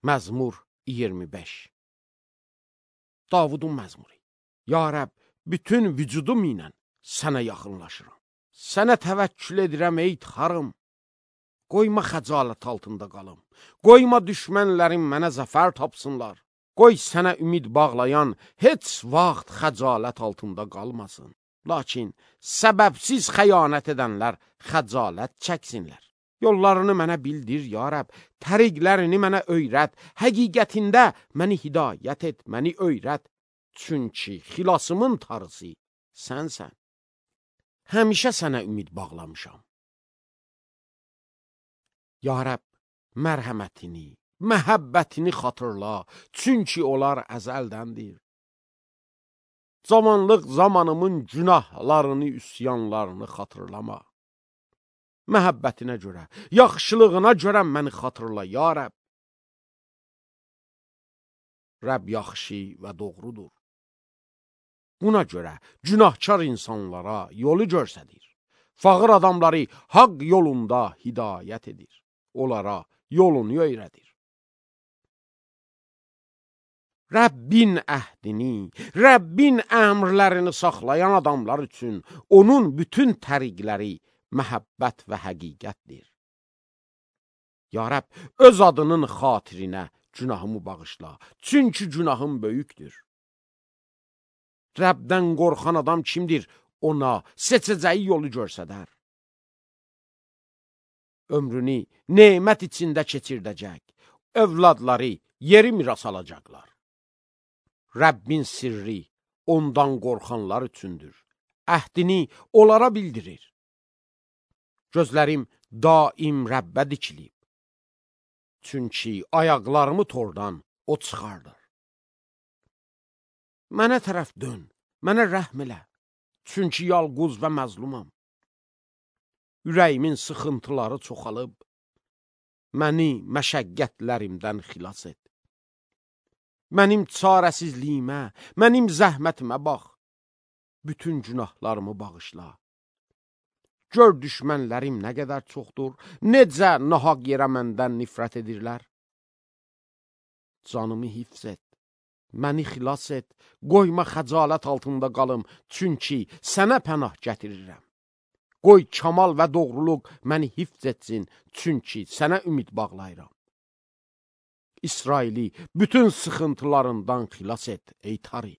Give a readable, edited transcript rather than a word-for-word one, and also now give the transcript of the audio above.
Məzmur 25. Davudun məzmuru. Ya Rəbb, bütün vücudum ilə sənə yaxınlaşıram. Sənə təvəkkül edirəm ey Tanrım. Qoyma xəcalət altında qalım. Qoyma düşmənlərim mənə zəfər tapsınlar. Qoy sənə ümid bağlayan heç vaxt xəcalət altında qalmasın. Lakin səbəbsiz xəyanət edənlər xəcalət çəksinlər. Yollarını mənə bildir, ya Rəbb, təriqlərini mənə öyrət, həqiqətində məni hidayət et, məni öyrət. Çünki xilasımın tarısı sənsən. Həmişə sənə ümid bağlamışam. Ya Rəbb, mərhəmətini, məhəbbətini xatırla, çünki onlar əzəldəndir. Zamanlıq zamanımın günahlarını, üsyanlarını xatırlama. Məhəbbətinə görə, yaxşılığına görə məni xatırla, ya Rəbb. Rəbb yaxşı və doğrudur. Buna görə günahkar insanlara yolu göstərir. Fağır adamları haqq yolunda hidayət edir. Onlara yolunu öyrədir. Rəbbin əhdini, Rəbbin əmrlərini saxlayan adamlar üçün onun bütün təriqləri məhəbbət və həqiqətdir. Ya Rəbb, öz adının xatirinə günahımı bağışla, çünki günahım böyükdür. Rəbdən qorxan adam kimdir? Ona seçəcəyi yolu göstərər. Ömrünü nemət içində keçirdəcək, övladları yeri miras alacaqlar. Rəbbin sirri ondan qorxanlar üçündür. Əhdini onlara bildirir. Gözlərim daim Rəbbə dikilib. Çünki ayaqlarımı tordan o çıxardır. Mənə tərəf dön, mənə rəhm elə. Çünki yalquz və məzlumam. Ürəyimin sıxıntıları çoxalıb. Məni məşəqqətlərimdən xilas et. Mənim çarəsizliyimə, mənim zəhmətimə bax. Bütün günahlarımı bağışla. Gör düşmənlərim nə qədər çoxdur, necə nahaq yerə məndən nifrət edirlər. Canımı hifz et, məni xilas et, qoyma xəcalət altında qalım, çünki sənə pənah gətirirəm. Qoy kamal və doğruluq məni hifz etsin, çünki sənə ümid bağlayıram. İsraili bütün sıxıntılarından xilas et, ey Tanrı.